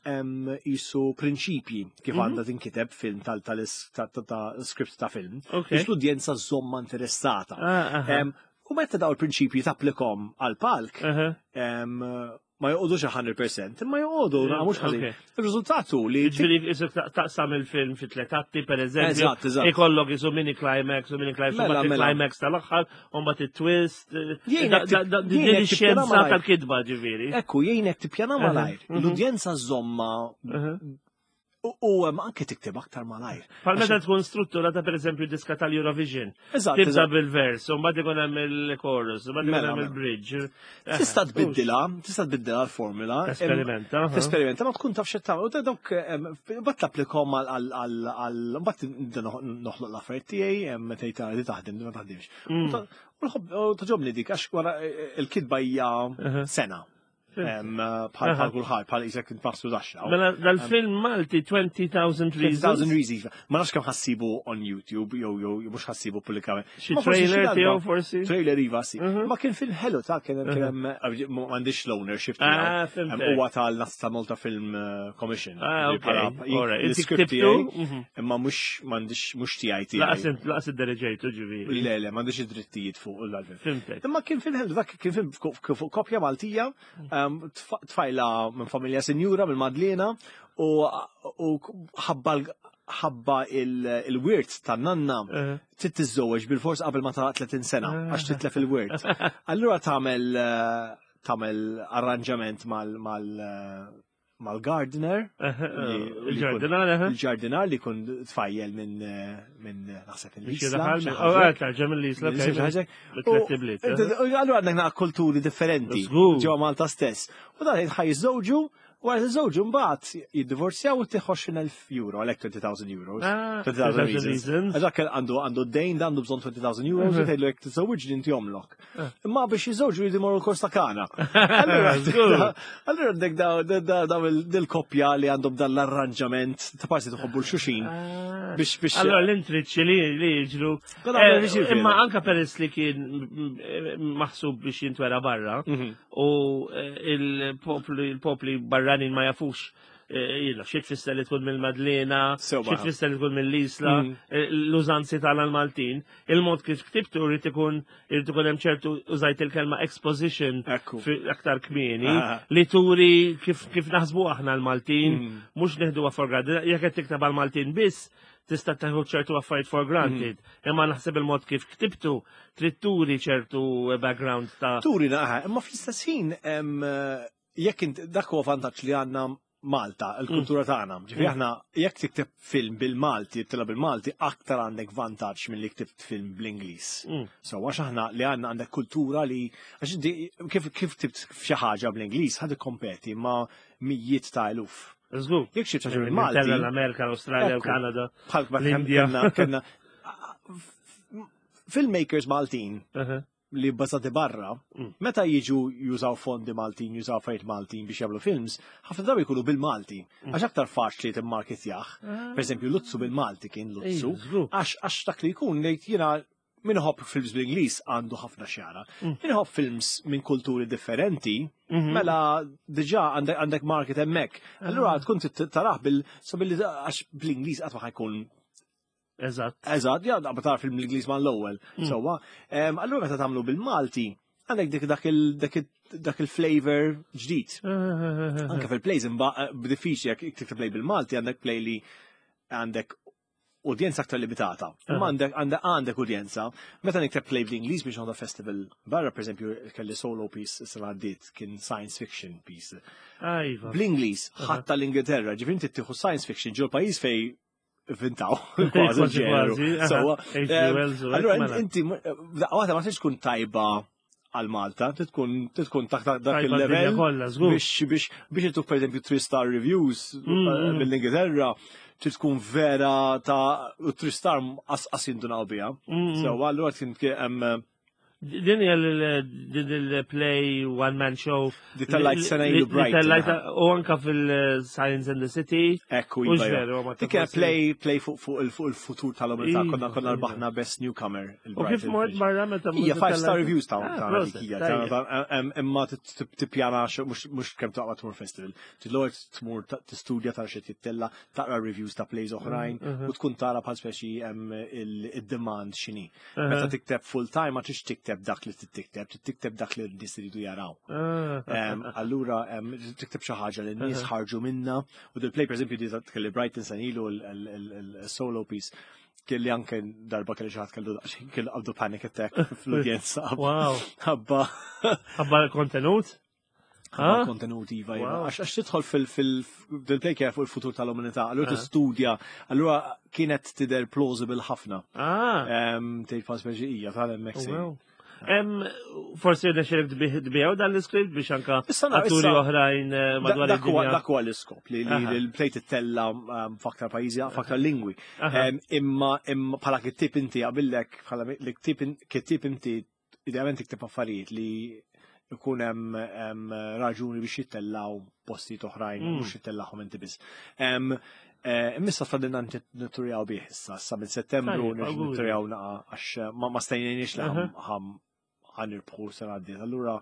[SPEAKER 2] hemm jisu prinċipji kif
[SPEAKER 1] Mhm.
[SPEAKER 2] għandha tinkiteb film tal tal ta' ta' ta' script ta' film
[SPEAKER 1] Ok.
[SPEAKER 2] biex l-udjenza żomma interessata.
[SPEAKER 1] Ah, aha.
[SPEAKER 2] Em, U meta daw il-prinċipji tapplikom għal palk,
[SPEAKER 1] Aha.
[SPEAKER 2] em, Ma joqogħdux mija fil-mija, imma joqogħdu
[SPEAKER 1] Mm,
[SPEAKER 2] mhux ħażin.
[SPEAKER 1] ok.
[SPEAKER 2] Il-riżultat hu li
[SPEAKER 1] Ġifieri, isek taqsam il-film fi tlet atti, per eżempju.
[SPEAKER 2] Eżatt, eżatt.
[SPEAKER 1] Ikollok isu mini climax, u mini climax, u
[SPEAKER 2] Mela,
[SPEAKER 1] mbagħad
[SPEAKER 2] mela.
[SPEAKER 1] il-climax tal-aħħar, u mbagħad il-twist. eh,
[SPEAKER 2] Jien
[SPEAKER 1] da-
[SPEAKER 2] jekk
[SPEAKER 1] da-
[SPEAKER 2] tip-
[SPEAKER 1] da-
[SPEAKER 2] jien
[SPEAKER 1] Din
[SPEAKER 2] jekk
[SPEAKER 1] ix-xjenza
[SPEAKER 2] tippjana malajr.
[SPEAKER 1] tal-kitba, ġifieri.
[SPEAKER 2] Ekku, jgħinek tippjana malajr.
[SPEAKER 1] Mhm.
[SPEAKER 2] L-udjenza żomma
[SPEAKER 1] Mhm.
[SPEAKER 2] u u hemm anke tikteb aktar malajr.
[SPEAKER 1] Bħal meta tkun strutturata, per eżempju, diska tal-Eurovision.
[SPEAKER 2] Eżatt,
[SPEAKER 1] Tibda
[SPEAKER 2] eżatt.
[SPEAKER 1] bil-vers, u mbagħad ikun hemm il-chorus, u mbagħad ikun
[SPEAKER 2] Mela,
[SPEAKER 1] hemm
[SPEAKER 2] mela.
[SPEAKER 1] il-bridge.
[SPEAKER 2] Tista' tbiddilha, tista' tbiddilha l-formula.
[SPEAKER 1] Esperimenta. aha.
[SPEAKER 2] Tesperimenta, ma tkun taf x'qed U da dawk mbagħad tapplikhom għal għal għal mbagħad nibda noħloq l-affarijiet tiegħi, em, meta jtara di taħdem, di ma taħdimx.
[SPEAKER 1] Mm.
[SPEAKER 2] U ta- U nħobb- u togħġobni dik għax wara eh, il-kitba hija
[SPEAKER 1] Aha.
[SPEAKER 2] sena. Em, Bħal
[SPEAKER 1] Aha.
[SPEAKER 2] bħal kulħadd, bħal isek inpassru daxxa.
[SPEAKER 1] Mela, dal-film Malti twenty thousand Reasons.
[SPEAKER 2] twenty thousand Reasons. Ma nafx kemm ħa ssibu on YouTube, jew jew mhux ħa ssibu pubblikament.
[SPEAKER 1] Xi
[SPEAKER 2] Ma forsi xi
[SPEAKER 1] trailer
[SPEAKER 2] darba.
[SPEAKER 1] tiegħu forsi?
[SPEAKER 2] Trailer iva si.
[SPEAKER 1] Mhm.
[SPEAKER 2] Ma kien film ħelu ta' kien kien hemm m'għandix l-ownership
[SPEAKER 1] Ah,
[SPEAKER 2] tiegħu.
[SPEAKER 1] fhimtek.
[SPEAKER 2] Em, Huwa tal Malta Film eh, Commission.
[SPEAKER 1] Ah, ok.
[SPEAKER 2] Bħala-
[SPEAKER 1] Alright. Inti
[SPEAKER 2] L-script
[SPEAKER 1] ktibtu?
[SPEAKER 2] tiegħi,
[SPEAKER 1] Mhm.
[SPEAKER 2] imma mhux m'għandix mhux tiegħi
[SPEAKER 1] Laqas
[SPEAKER 2] tiegħi.
[SPEAKER 1] int- laqas id-dereġejtu ġifieri.
[SPEAKER 2] Le, le, m'għandix id-drittijiet fuq l-film.
[SPEAKER 1] Fhimtek.
[SPEAKER 2] Imma kien film ħelu, dak kien film fuq fuq koppja Maltija, em, tfa- tfajla minn familja sinjura minn Madlena u u ħabba l- ħabba il- il-wirt tan-nanna
[SPEAKER 1] Eh.
[SPEAKER 2] trid tiżżewweġ bil-fors qabel ma ta' tletin sena għax titlef il-wirt. Allura tagħmel eh, tagħmel arranġament mal mal eh, mal-gardener li- li
[SPEAKER 1] Il-ġardinar,
[SPEAKER 2] jkun-
[SPEAKER 1] eh?
[SPEAKER 2] il-ġardinar li jkun tfajjel minn eh, minn eh, naħseb
[SPEAKER 1] Biex
[SPEAKER 2] il-Isla.
[SPEAKER 1] jiraħal
[SPEAKER 2] xi
[SPEAKER 1] minn-
[SPEAKER 2] ħaġa.
[SPEAKER 1] Oh, eh, tarġa mill-Isla.
[SPEAKER 2] Xi ħaġa.
[SPEAKER 1] Bit-tlet ibliet, eh?
[SPEAKER 2] Allura għandek naqa kulturi differenti
[SPEAKER 1] Żgur.
[SPEAKER 2] ġewwa Malta stess. U dan ħa jiżżewġu, wara jiżżewġu mbagħad jiddivorzjaw u tieħu għoxrin elf euro, għalhekk twenty thousand euros.
[SPEAKER 1] Ah,
[SPEAKER 2] twenty thousand
[SPEAKER 1] twenty thousand
[SPEAKER 2] Reasons.
[SPEAKER 1] Reasons.
[SPEAKER 2] Għax dak għandu għandu d-dejn, għandu bżonn twenty thousand euros, u tgħidlu jekk tiżżewġ inti jomlok. Imma biex jiżżewġu jridu jmorru l-kors ta' Kana. Allura
[SPEAKER 1] Żgur.
[SPEAKER 2] allura għandek daw daw il-koppja li għandhom dan l-arranġament ta' parti tħobbu l-xuxin
[SPEAKER 1] Ah.
[SPEAKER 2] biex biex
[SPEAKER 1] Allora l-intriċċi li li jiġru.
[SPEAKER 2] Kolla
[SPEAKER 1] Eh,
[SPEAKER 2] għamlu jiġri
[SPEAKER 1] Imma
[SPEAKER 2] fil.
[SPEAKER 1] anka peress li kien mm, maħsub biex jintwera barra
[SPEAKER 2] Mhm.
[SPEAKER 1] u eh, il-popli il-popli barranin ma jafux eh, jilla, xi tfisser li tkun mill-Madlena,
[SPEAKER 2] Sew
[SPEAKER 1] xi
[SPEAKER 2] baħ.
[SPEAKER 1] tfisser li tkun mill-Isla,
[SPEAKER 2] Mm.
[SPEAKER 1] eh, l-użanzi tal-Maltin, il-mod kif ktibtu rrid ikun irid ikun hemm ċertu, użajt il-kelma exposition
[SPEAKER 2] Ekku.
[SPEAKER 1] fi- aktar kmieni
[SPEAKER 2] Ah.
[SPEAKER 1] li turi kif kif naħsbu aħna l-Maltin,
[SPEAKER 2] Mm.
[SPEAKER 1] mhux neħduha for granted. Jekk qed tikteb għal-Maltin biss, tista' teħu ċertu affarijiet for granted.
[SPEAKER 2] Mm.
[SPEAKER 1] Imma naħseb il-mod kif ktibtu trid turi ċertu background ta'
[SPEAKER 2] Turi naqa, imma fl-istess ħin em, jekk int dak huwa vantaġġ li għandna Malta, il-kultura tagħna. Ġifieri aħna jekk tikteb film bil-Malti, tila bil-Malti, aktar għandek vantaġġ milli ktibt film bl-Ingliż.
[SPEAKER 1] Mm.
[SPEAKER 2] So għax aħna li għandna għandek kultura li għax inti kif kif ktibt f'xi ħaġa bl-Ingliż ħad ikkompeti ma' mijiet ta' eluf.
[SPEAKER 1] Żgur.
[SPEAKER 2] Jekk xi ħaġa bil-Malti,
[SPEAKER 1] L-Amerika, l-Australia,
[SPEAKER 2] Ekku.
[SPEAKER 1] l-Kanada.
[SPEAKER 2] bħal
[SPEAKER 1] L-Indja.
[SPEAKER 2] kellna kellna filmmakers Maltin
[SPEAKER 1] Aha.
[SPEAKER 2] li bbażati barra,
[SPEAKER 1] Mm.
[SPEAKER 2] meta jiġu jużaw fondi Maltin, jużaw affarijiet Maltin biex jagħmlu films, ħafna drabi jkunu bil-Malti.
[SPEAKER 1] Mm.
[SPEAKER 2] Għax aktar faċli timmarketjah. Per eżempju, Luzzu bil-Malti kien Luzzu.
[SPEAKER 1] Ej, żgur.
[SPEAKER 2] Għax għax dak li jkun ngħid jiena min iħobb films bl-Ingliż għandu ħafna xjara.
[SPEAKER 1] Mm.
[SPEAKER 2] Min iħobb films minn kulturi differenti,
[SPEAKER 1] Mhm.
[SPEAKER 2] mela diġà għandek għandek market hemmhekk. Allura tkun tarah bil so billi għax bl-Ingliż qatt ma ħa jkun
[SPEAKER 1] Eżatt.
[SPEAKER 2] Eżatt, ja, ma tara film l-Ingliż ma l-ewwel.
[SPEAKER 1] Mm.
[SPEAKER 2] Sewwa. Em, Allura meta tagħmlu bil-Malti, għandek dik dak il dak il dak il-flavor ġdid. Anke fil-plays imba b'diffiċli jekk tikteb play bil-Malti għandek play li għandek udjenza aktar limitata. Imma għandek għandek għandek udjenza. Meta nikteb play bl-Ingliż biex għandha festival barra, per eżempju, kelli solo piece sena għaddiet kien science fiction piece.
[SPEAKER 1] Ajva.
[SPEAKER 2] Bl-Ingliż, ħatta l-Ingilterra, ġifieri inti tieħu science fiction ġol pajjiż fej vintaw kważi
[SPEAKER 1] Kważi,
[SPEAKER 2] ġeneru.
[SPEAKER 1] kważi, aha.
[SPEAKER 2] Sewwa,
[SPEAKER 1] H G.
[SPEAKER 2] em,
[SPEAKER 1] Wells u hekk,
[SPEAKER 2] Allura
[SPEAKER 1] mela.
[SPEAKER 2] inti daqqa waħda ma tistax tkun tajba għal Malta, trid tkun trid tkun taħt dak
[SPEAKER 1] Tajba d-dinja
[SPEAKER 2] il-level
[SPEAKER 1] kollha, żgur.
[SPEAKER 2] biex biex biex intuk per eżempju three star reviews
[SPEAKER 1] Mm,
[SPEAKER 2] eh,
[SPEAKER 1] mm.
[SPEAKER 2] mill-Ingilterra, trid tkun vera ta' u three star qas jindunaw biha.
[SPEAKER 1] Mm, mm.
[SPEAKER 2] So allura kien hemm
[SPEAKER 1] Din hija l- din il-play one man show.
[SPEAKER 2] Di tellajt sena ilu
[SPEAKER 1] Li- li
[SPEAKER 2] Brighton,
[SPEAKER 1] tellajt
[SPEAKER 2] aha.
[SPEAKER 1] u anka fil-Science and the City.
[SPEAKER 2] Ekku,
[SPEAKER 1] U
[SPEAKER 2] iva,
[SPEAKER 1] veru, ma
[SPEAKER 2] Dik kienet
[SPEAKER 1] forsi-
[SPEAKER 2] play play fuq fuq il- fuq il-futur tal-umanità,
[SPEAKER 1] Iva,
[SPEAKER 2] konna konna
[SPEAKER 1] iva.
[SPEAKER 2] rbaħna best newcomer.
[SPEAKER 1] U kif mort barra meta
[SPEAKER 2] Hija five star reviews ta'
[SPEAKER 1] Ah,
[SPEAKER 2] ta'
[SPEAKER 1] proset,
[SPEAKER 2] dik hija.
[SPEAKER 1] tajjeb.
[SPEAKER 2] ta' ta' em, Imma tippjana mhux mhux kemm taqwa tmur festival. Tidlor tmur ta- tistudja tara xi tittella, taqra reviews ta' plays oħrajn
[SPEAKER 1] Mhm.
[SPEAKER 2] u tkun tara bħal speċi em, il-demand x'inhi.
[SPEAKER 1] Aha.
[SPEAKER 2] Meta tikteb full time ma tix tikteb tikteb dak li tikteb, tikteb dak li n-nies iridu jaraw.
[SPEAKER 1] Ah.
[SPEAKER 2] Em, Allura, em, tikteb xi ħaġa li n-nies ħarġu minna, u dil-play, per eżempju, di kelli Brighton sena ilu il-solo piece, kelli anke darba kelli xi ħadd kellu daqsxejn kellu qabdu panic attack fl-udjenza.
[SPEAKER 1] Wow.
[SPEAKER 2] Ħabba
[SPEAKER 1] Ħabba l-kontenut?
[SPEAKER 2] ħabba
[SPEAKER 1] Ah?
[SPEAKER 2] kontenut iva, iva.
[SPEAKER 1] Wow.
[SPEAKER 2] Għax għax tidħol fil- fil- fil-play kien fuq il-futur tal-umanità, allura
[SPEAKER 1] Ah.
[SPEAKER 2] tistudja, allura kienet tidher plausible ħafna.
[SPEAKER 1] Ah.
[SPEAKER 2] Em, Tgħid pa speċi hija tal-hemmhekk
[SPEAKER 1] Oh,
[SPEAKER 2] se.
[SPEAKER 1] wow. Em, forsi rnexxilek tbiegħu dan l-iskript biex anka
[SPEAKER 2] Issa na-
[SPEAKER 1] atturi
[SPEAKER 2] issa-
[SPEAKER 1] oħrajn eh, madwar
[SPEAKER 2] Dak huwa
[SPEAKER 1] id-dinja.
[SPEAKER 2] dak huwa l-iskop li li
[SPEAKER 1] Aha.
[SPEAKER 2] li l-play tittella um, f'aktar pajjiżi, f'aktar lingwi.
[SPEAKER 1] Aha.
[SPEAKER 2] Em, Imma imma bħala kittib inti qabillek bħala li ktib in- kittib inti idealment tikteb affarijiet li ikun hemm em, raġuni biex jittellaw postijiet oħrajn,
[SPEAKER 1] Mm.
[SPEAKER 2] mhux jittellahom inti biss. Em, eh, Imma fadilna nitturjaw bih issa, issa minn Settembru
[SPEAKER 1] Tajjeb,
[SPEAKER 2] nerġgħu
[SPEAKER 1] auguri.
[SPEAKER 2] nitturjaw naqa għax ma ma stajniex li
[SPEAKER 1] Aha.
[SPEAKER 2] ħam ħanirbħu sena għaddiet. Allura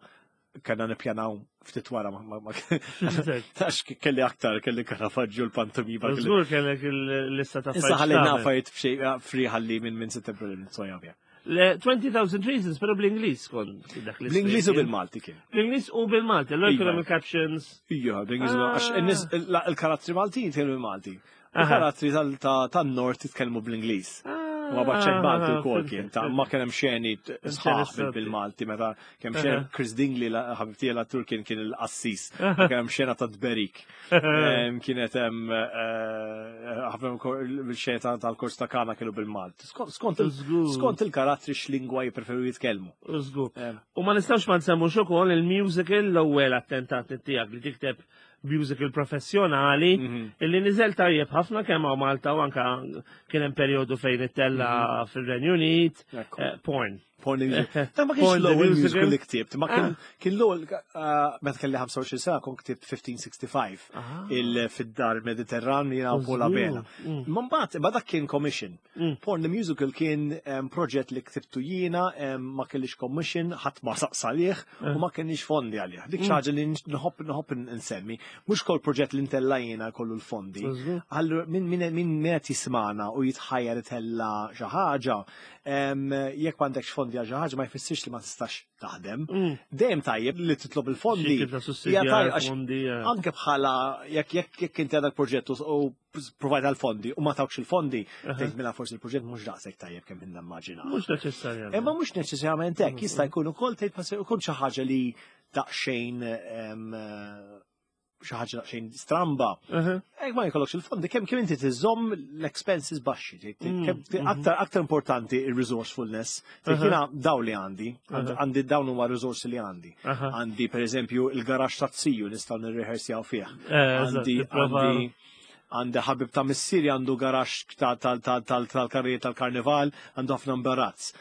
[SPEAKER 2] kellna nippjanaw ftit wara ma- ma- ma- Għax kelli aktar, kelli Caravaggio l-pantomima. kelli-
[SPEAKER 1] Żgur kellek il-lista ta'
[SPEAKER 2] Issa
[SPEAKER 1] affarijiet
[SPEAKER 2] ħalli
[SPEAKER 1] x'tagħmel.
[SPEAKER 2] affarijiet f'xej free ħalli minn minn Settembru li nitsoja bija.
[SPEAKER 1] Le twenty thousand Reasons, pero bl-Ingliż kont dak l
[SPEAKER 2] Bl-Ingliż u bil-Malti kien.
[SPEAKER 1] Bl-Ingliż u bil-Malti, allora
[SPEAKER 2] Iva.
[SPEAKER 1] kien hemm il-captions.
[SPEAKER 2] Ija, bl-Ingliż u
[SPEAKER 1] Ah.
[SPEAKER 2] għax in-nies il-karattri Maltin jitkellmu bil-Malti.
[SPEAKER 1] Aha.
[SPEAKER 2] Il-karattri tal- ta- tan-Nord jitkellmu bl-Ingliż. Ma baċċek Malti
[SPEAKER 1] Ah,
[SPEAKER 2] wkoll kien, ta' ma kien hemm xeni sħaħ
[SPEAKER 1] Interessanti.
[SPEAKER 2] bil-Malti meta kemm xena
[SPEAKER 1] Aha.
[SPEAKER 2] Chris Dingley, la- ħabib tiegħi l-attur, kien kien il-qassis, ma kien hemm xena ta' Tberik. Em, Kienet hemm eh, ħafna bil-xena ta- tal-kors ta' Kana kienu bil-Malti. Skont- Skont il-
[SPEAKER 1] Żgur.
[SPEAKER 2] skont il-karattri x'lingwa jippreferu jitkellmu.
[SPEAKER 1] Żgur.
[SPEAKER 2] Em,
[SPEAKER 1] U ma nistgħux ma nsemmux ukoll il-musical, l-ewwel attentat tiegħek li tikteb musical professjonali
[SPEAKER 2] Mhm.
[SPEAKER 1] illi niżel tajjeb ħafna kemm hawn Malta u anka kien hemm perjodu fejn ittella fir-Renju Unit,
[SPEAKER 2] Ekku.
[SPEAKER 1] eh, Porn.
[SPEAKER 2] Porn the Musical. Ta' ma kienx
[SPEAKER 1] Porn the
[SPEAKER 2] l-ewwel
[SPEAKER 1] Musical.
[SPEAKER 2] musical li ktibt, ma kien
[SPEAKER 1] Ah.
[SPEAKER 2] kien l-ewwel eh, meta kelli ħamsa u għoxrin sena kont ktibt fifteen sixty-five
[SPEAKER 1] Ah.
[SPEAKER 2] il fid-dar Mediterran jiena u Paul Abela.
[SPEAKER 1] Mm.
[SPEAKER 2] Ma mbagħad ma dak kien commission.
[SPEAKER 1] Mm.
[SPEAKER 2] Porn the Musical kien em, proġett li ktibtu jiena, em, ma kellix commission, ħadd ma saqsa għalih
[SPEAKER 1] Eh.
[SPEAKER 2] u ma kellix fondi għalih. Dik
[SPEAKER 1] Mm.
[SPEAKER 2] xi ħaġa li nħobb nħobb nsemmi. Mhux kol proġett li ntella jiena kollu l-fondi.
[SPEAKER 1] Żgur.
[SPEAKER 2] Allura min min min min qed jismana u jitħajjar itella xi ħaġa, em, jekk m'għandekx fondi għal xi ħaġa ma jfissirx li ma tistax taħdem.
[SPEAKER 1] Mm.
[SPEAKER 2] Dejjem tajjeb li titlob il-fondi.
[SPEAKER 1] Xi tip ta'
[SPEAKER 2] Hija
[SPEAKER 1] sussidjar,
[SPEAKER 2] tajjeb għax
[SPEAKER 1] fondi. eh.
[SPEAKER 2] anke bħala jekk jekk jekk inti għandek proġett u u provajt għal-fondi u ma tawkx il-fondi, tgħid mela forsi il-proġett mhux daqshekk tajjeb kemm inna immaġina.
[SPEAKER 1] Mhux neċessarjament.
[SPEAKER 2] Imma mhux neċessarjament hekk, jista' jkun ukoll tgħid ma se jkun xi ħaġa li daqsxejn em, xi ħaġa daqsxejn stramba.
[SPEAKER 1] Aha.
[SPEAKER 2] Ek ma jkollokx il-fondi, kemm kemm inti tiżomm l-expenses baxxi, tgħid-
[SPEAKER 1] Mm,
[SPEAKER 2] kemm-
[SPEAKER 1] mhm.
[SPEAKER 2] aktar aktar importanti il-resourcefulness. Tgħid
[SPEAKER 1] Aha.
[SPEAKER 2] jiena daw li għandi,
[SPEAKER 1] Aha.
[SPEAKER 2] għandi dawn huma risorsi li għandi.
[SPEAKER 1] Aha.
[SPEAKER 2] Għandi per eżempju il-garaxx ta' ziju nistgħu nirrehearsjaw fih.
[SPEAKER 1] Eh, eżatt,
[SPEAKER 2] Għandi
[SPEAKER 1] tipprova-
[SPEAKER 2] għandi għandi ħabib ta' missieri għandu garaxx tal-karrijiet tal-karnival, għandu ħafna imbarazz.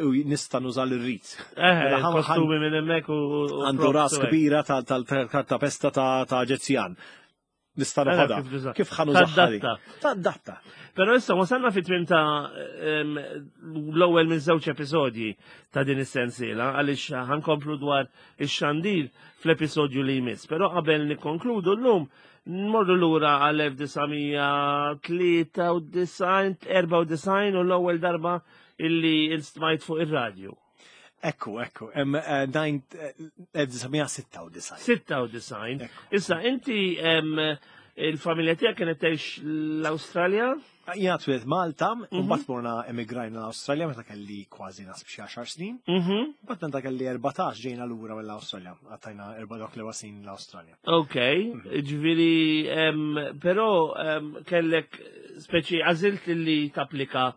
[SPEAKER 2] U nista' nuża l-rit.
[SPEAKER 1] Eh,
[SPEAKER 2] Mela ħa-
[SPEAKER 1] kostumi minn hemmhekk u u
[SPEAKER 2] Għandu
[SPEAKER 1] props
[SPEAKER 2] ras
[SPEAKER 1] u hekk.
[SPEAKER 2] kbira tal-kartapesta ta' ta' Eġizzjan. Nista'
[SPEAKER 1] Ara
[SPEAKER 2] noħodha.
[SPEAKER 1] kif tuża.
[SPEAKER 2] Kif ħa nużaha?
[SPEAKER 1] Tadatta.
[SPEAKER 2] Tadatta.
[SPEAKER 1] Però issa wasalna fi tmiem ta' em, l-ewwel minn żewġ episodji ta' din is-sensiela, għaliex ħankomplu dwar ix-xandir fl-episodju li jmiss. Però qabel nikkonkludu llum nmorru lura għal elf disa' mija tlieta u disgħin, erbgħa u disgħin u l-ewwel darba illi instmajt fuq ir-radju.
[SPEAKER 2] Ekku, ekku. Em, eh, nine- eh, elf disa' mija sitta u disgħin.
[SPEAKER 1] sitta u disgħin.
[SPEAKER 2] Ekku.
[SPEAKER 1] Issa inti em, il-familja tiegħek kienet tgħix l-Awstralja?
[SPEAKER 2] Jiena twelidt Malta, u
[SPEAKER 1] Mhm.
[SPEAKER 2] mbagħad morna emigrajna l-Awstralja meta kelli kważi nasib xi għaxar snin.
[SPEAKER 1] Mhm.
[SPEAKER 2] Mbagħad meta kelli erbatax ġejna lura mill-Awstralja. Għattajna erba' dawk l snin l-Awstralja.
[SPEAKER 1] Ok, ġifieri, em, però em, kellek speċi għażilt li tapplika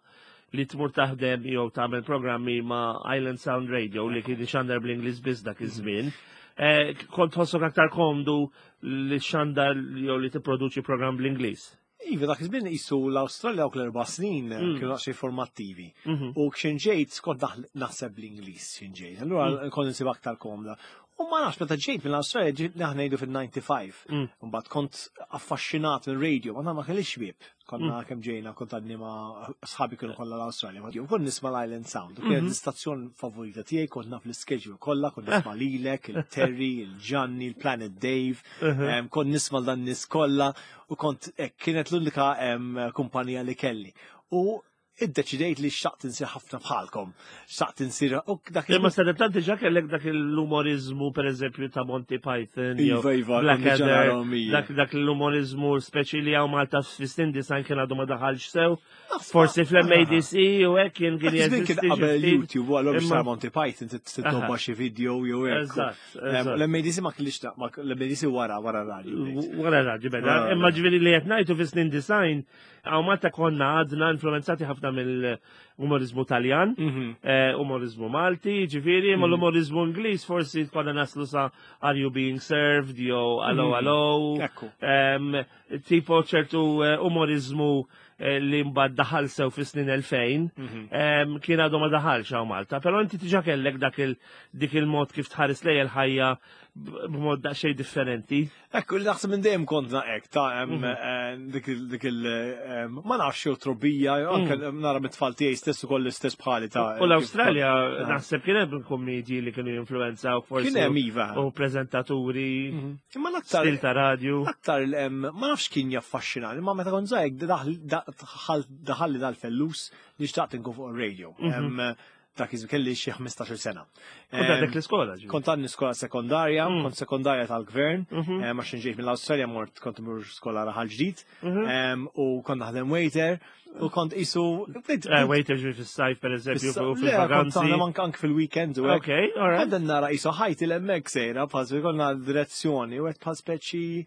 [SPEAKER 1] li tmur taħdem jew tagħmel programmi ma' Island Sound Radio li kien xandar bl-Ingliż biss dak iż-żmien. Eh, Kont tħossok aktar komdu li xandar jew li tipproduċi programm bl-Ingliż.
[SPEAKER 2] Iva, dak iż-żmien qisu l-Awstralja dawk l-erba' snin
[SPEAKER 1] Mm.
[SPEAKER 2] kienu daqsxejn formattivi.
[SPEAKER 1] Mhm.
[SPEAKER 2] U x'ħin ġejt kont naħ- naħseb bl-Ingliż x'ħin ġejt. Allura kont insib aktar komda. U ma nafx meta ġejt mill-Awstralja ġejt naħna ngħidu fil-ħamsa u disgħin.
[SPEAKER 1] Mm.
[SPEAKER 2] Mbagħad kont affaxxinat minn radio, ma ma kellix ħbieb. Konna kemm ġejna kont għadni ma sħabi kienu kollha l-Awstralja. Ma kont nisma' l-Island Sound. U kienet
[SPEAKER 1] Mhm.
[SPEAKER 2] l-istazzjon favorita tiegħi, kont naf l-schedule kollha, kont nisma' lilek, il-Terry, il-Gianni, il-Planet Dave. Em, Kont nisma' dan nies kollha u kont eh, kienet l-unika em, kumpanija li kelli. U Iddeċidejt li xtaqt insir ħafna bħalkom. Xtaqt insir u dak
[SPEAKER 1] Imma sadattant diġà kellek dak l-umorizmu, per eżempju, ta' Monty Python, jew
[SPEAKER 2] Iva, iva, kont diġà
[SPEAKER 1] Blackadder,
[SPEAKER 2] narahom, ija.
[SPEAKER 1] dak dak l-umorizmu speċi li hawn Malta fis-snin disgħin kien għadu ma daħalx sew. Forsi fl-M A D C u hekk kien kien
[SPEAKER 2] Dak iż-żmien kien
[SPEAKER 1] jeżisti
[SPEAKER 2] qabel
[SPEAKER 1] xi ftit.
[SPEAKER 2] YouTube, u allura biex
[SPEAKER 1] Imma-
[SPEAKER 2] tara Monty Python titobba xi video jew hekk.
[SPEAKER 1] Eżatt,
[SPEAKER 2] Em,
[SPEAKER 1] eżatt.
[SPEAKER 2] L-M A D C ma kellix ta' ma- l-M A D C wara wara radio. bdejt.
[SPEAKER 1] Wara radio beda.
[SPEAKER 2] Wara
[SPEAKER 1] Imma
[SPEAKER 2] radio.
[SPEAKER 1] ġifieri li qed ngħidu fis-snin disgħin, hawn Malta konna għadna influenzati ħafna mill-umorizmu Taljan,
[SPEAKER 2] Mhm.
[SPEAKER 1] eh, umorizmu Malti, ġifieri, imma l-umorizmu Ingliż forsi konna naslu sa Are You Being Served, jew Allo
[SPEAKER 2] Mhm.
[SPEAKER 1] Allo.
[SPEAKER 2] Ekku.
[SPEAKER 1] Em, tipo ċertu eh, umorizmu eh, li mbagħad daħal sew fis-snin elfejn,
[SPEAKER 2] Mhm.
[SPEAKER 1] em, kien għadu ma daħalx hawn Malta, però inti diġà kellek dak il dik il-mod kif tħares lejn il-ħajja b- b'mod daqsxejn differenti.
[SPEAKER 2] Ekku, li naħseb minn dejjem kont hekk, ta' em,
[SPEAKER 1] Mhm.
[SPEAKER 2] eh, dik il- dik il, em, ma nafx jew trobbija, jew anke nara mit-tfal tiegħi stess ukoll l-istess bħali ta'
[SPEAKER 1] U l-Awstralja
[SPEAKER 2] Ah.
[SPEAKER 1] naħseb kien hemm kommedji li kienu jinfluenzaw forsi.
[SPEAKER 2] Kien hemm iva.
[SPEAKER 1] U preżentaturi,
[SPEAKER 2] Mhm. Imma l-aktar
[SPEAKER 1] stil ta' radio.
[SPEAKER 2] Aktar em, ma nafx kien jaffaxxinani, ma meta kont żgħir daħalli dal-fellus li xtaqt inkun fuq ir-radio.
[SPEAKER 1] Mhm.
[SPEAKER 2] Em, Dak iż kelli xi ħmistax-il sena.
[SPEAKER 1] Kont għadek l-iskola, ġifieri.
[SPEAKER 2] Kont għadni skola sekondarja,
[SPEAKER 1] Mm.
[SPEAKER 2] kont sekondarja tal-gvern,
[SPEAKER 1] Mhm.
[SPEAKER 2] em, għax ġejt mill-Awstralja mort kont imur skola Raħal Ġdid,
[SPEAKER 1] Mhm.
[SPEAKER 2] em, u kont naħdem waiter, u kont isu.
[SPEAKER 1] Eh, waiter ġifieri fis-sajf per eżempju, u
[SPEAKER 2] Le, kont
[SPEAKER 1] fil-vaganzi.
[SPEAKER 2] naħdem anke anke fil-weekend u hekk.
[SPEAKER 1] Ok, all right.
[SPEAKER 2] Għadda nara isu ħajti l-emmek sejra, bħal konna direzzjoni, u għedt bħal speċi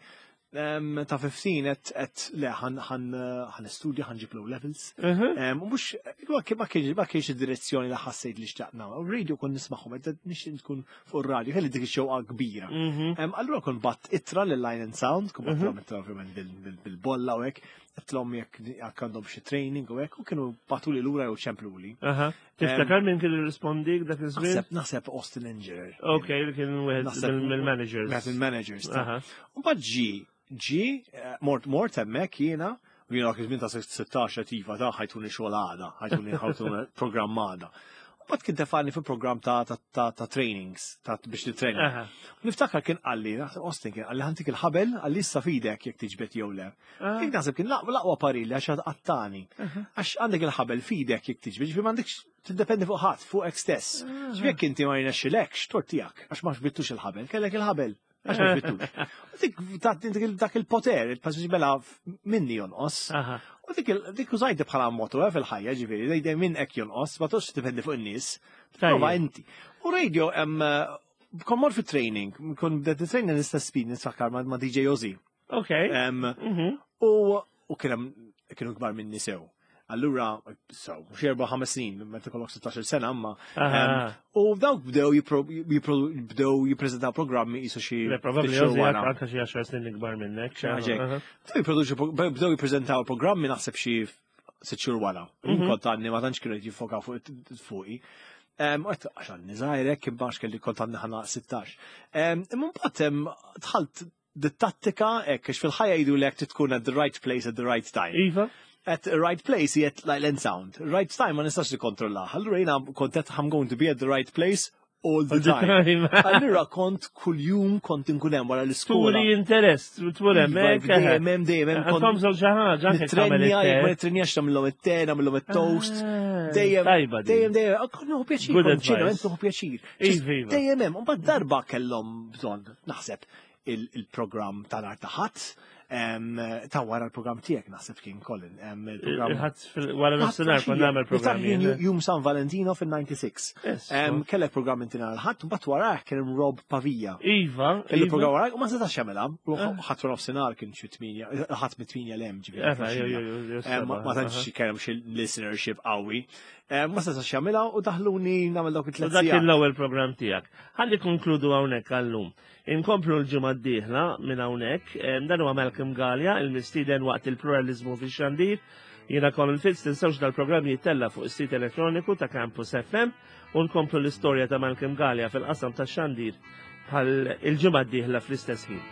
[SPEAKER 2] em, ta' ħmistax et et le ħan ħan ħan studja, ħa nġib low levels.
[SPEAKER 1] Mhm.
[SPEAKER 2] Em, U mhux ma kien- ma kienx ma kienx id-direzzjoni li ħassejt li xtaqna. U radio kon nismagħhom, qed nixtieq tkun fuq ir-radio, kelli dik ix-xewqa kbira.
[SPEAKER 1] Mhm.
[SPEAKER 2] Em, Allura kon bgħatt ittra lil Line and Sound, kon bgħattilhom ittra ovvjament bil- bil- bil-bolla u hekk, għedtilhom jekk jekk għandhom xi training u hekk, u kienu bagħtuli lura jew ċempluli.
[SPEAKER 1] Aha. Tiftakar min kien irrispondik dak iż-żmien?
[SPEAKER 2] Naħseb naħseb Austin Engineer.
[SPEAKER 1] Ok, li kien wieħed
[SPEAKER 2] Naħseb-
[SPEAKER 1] mill-managers.
[SPEAKER 2] Wieħed il-managers. ta'
[SPEAKER 1] Aha.
[SPEAKER 2] U mbagħad ġi, ġi, eh, mort mort hemmhekk jiena, u jiena dak iż-żmien ta' sittax iva ta' ħa jtuni xogħol għada, ħa jtuni ħa jtuni programm għada. U mbagħad kien tefani fi programm ta' ta' ta' ta' trainings, ta' biex titrejna.
[SPEAKER 1] Aha.
[SPEAKER 2] Niftakar kien qalli, naħseb Austin kien qalli, "Ħa ntik il-ħabel," qalli, "issa fidek jekk tiġbed jew le."
[SPEAKER 1] Ah.
[SPEAKER 2] Kien naħseb kien l-aqwa l-aqwa parili għax għattani. Għax għandek il-ħabel fidek jekk tiġbed, ġifieri m'għandekx tiddependi fuq ħadd, fuqek stess. Ġifieri jekk inti ma jirnexxilekx, tort tiegħek, għax ma ġbittux il-ħabel, kellek il-ħabel. Għax ma ġbittux. U dik ta' dik dak il-poter, il-passiġi mela minni jonqos.
[SPEAKER 1] Aha.
[SPEAKER 2] U dik il- dik użajti bħala motto eh, fil-ħajja, ġifieri, dejjem minn hekk jonqos, ma toqgħodx tiddependi fuq in-nies. Prova
[SPEAKER 1] Tajjeb.
[SPEAKER 2] inti. U radio hemm kon mort fit training, kon bdet training l-istess speed niftakar ma' ma' D J Ozzy.
[SPEAKER 1] Ok.
[SPEAKER 2] Em,
[SPEAKER 1] Mhm.
[SPEAKER 2] U u kien hemm kienu kbar minni sew. Allura, so, xi erba' ħames snin, meta kollok sittax-il sena, amma.
[SPEAKER 1] Aha.
[SPEAKER 2] em, U dawk bdew jipro- jipro- bdew jippreżentaw programmi jisu xi
[SPEAKER 1] Le, probably
[SPEAKER 2] ftit xhur
[SPEAKER 1] Ozzy
[SPEAKER 2] wara.
[SPEAKER 1] anka xi għaxar snin ikbar minnek.
[SPEAKER 2] Xi ħaġa hekk.
[SPEAKER 1] Aha.
[SPEAKER 2] Bdew jipproduċu bdew jippreżentaw programmi naħseb xi sitt xhur wara.
[SPEAKER 1] Mhm.
[SPEAKER 2] Kont għadni ma tantx kienu jiffokaw fuq fuqi. Em, U għedt għax għadni żgħir kien bax kelli kont għadni ħana sittax. Em, Imma mbagħad em, dħalt dit-tattika hekk għax fil-ħajja jgħidu lek tkun at the right place at the right time.
[SPEAKER 1] Iva?
[SPEAKER 2] At the right place jiet like Line Sound. Right time ma nistax nikkontrolla. Allura jiena kont qed I'm going to be at the right place all the
[SPEAKER 1] All the
[SPEAKER 2] time.
[SPEAKER 1] time.
[SPEAKER 2] Allura kont kuljum kont inkun hemm wara l-iskola.
[SPEAKER 1] Turi interess, tmur
[SPEAKER 2] Iva,
[SPEAKER 1] hemmhekk.
[SPEAKER 2] Dejjem hemm, dejjem hemm kont
[SPEAKER 1] Għandhom żewġ xi ħaġa, anke tagħmel
[SPEAKER 2] nitrenja, jekk ma
[SPEAKER 1] it-te.
[SPEAKER 2] nitrenjax nagħmilhom it-te, nagħmilhom it-toast.
[SPEAKER 1] Ah,
[SPEAKER 2] Dejjem,
[SPEAKER 1] tajba din.
[SPEAKER 2] dejjem, dejjem, ah, kont nieħu pjaċir,
[SPEAKER 1] Good
[SPEAKER 2] kont ġenwament
[SPEAKER 1] advice.
[SPEAKER 2] nieħu pjaċir.
[SPEAKER 1] Iva, iva.
[SPEAKER 2] Dejjem hemm, u mbagħad darba kellhom bżonn, naħseb, il- il-programm ta' nhar ta' Ħadd, em, ta' wara l-programm tiegħek naħseb kien Colin. em, Il-programm
[SPEAKER 1] Il-Ħadd fil- wara nofsinhar kont nagħmel programmi.
[SPEAKER 2] Niftakar kien Jum San Valentino fil-disgħa u disgħin.
[SPEAKER 1] Yes.
[SPEAKER 2] Em, Kellek programm inti nhar il-Ħadd, mbagħad warah kien hemm Rob Pavia.
[SPEAKER 1] Iva,
[SPEAKER 2] Kellu
[SPEAKER 1] iva.
[SPEAKER 2] programm warah u ma setax jagħmilha. Ħadd wara nofsinhar kien xi tminja, Ħadd mit-tminja 'l hemm ġifieri.
[SPEAKER 1] Efa, jo, jo, jo, jo,
[SPEAKER 2] Em, Ma
[SPEAKER 1] seba',
[SPEAKER 2] ma tantx kien hemm xi listenership qawwi. Em, Ma setax jagħmilha u daħluni nagħmel dawk
[SPEAKER 1] U
[SPEAKER 2] it-tliet
[SPEAKER 1] dak kien
[SPEAKER 2] sigħat.
[SPEAKER 1] l-ewwel programm tiegħek. Ħalli konkludu hawnhekk għallum. Inkomplu l-ġimgħa d-dieħla minn hawnhekk. Em, Dan huwa Malcolm Galea, il-mistieden waqt il-pluralizmu fix-xandir. Jiena Colin Fitz, tinsewx dal-programm jittella fuq is-sit elettroniku ta' Campus F M u nkomplu l-istorja ta' Malcolm Galea fil-qasam tax-xandir bħal il-ġimgħa d-dieħla fl-istess ħin.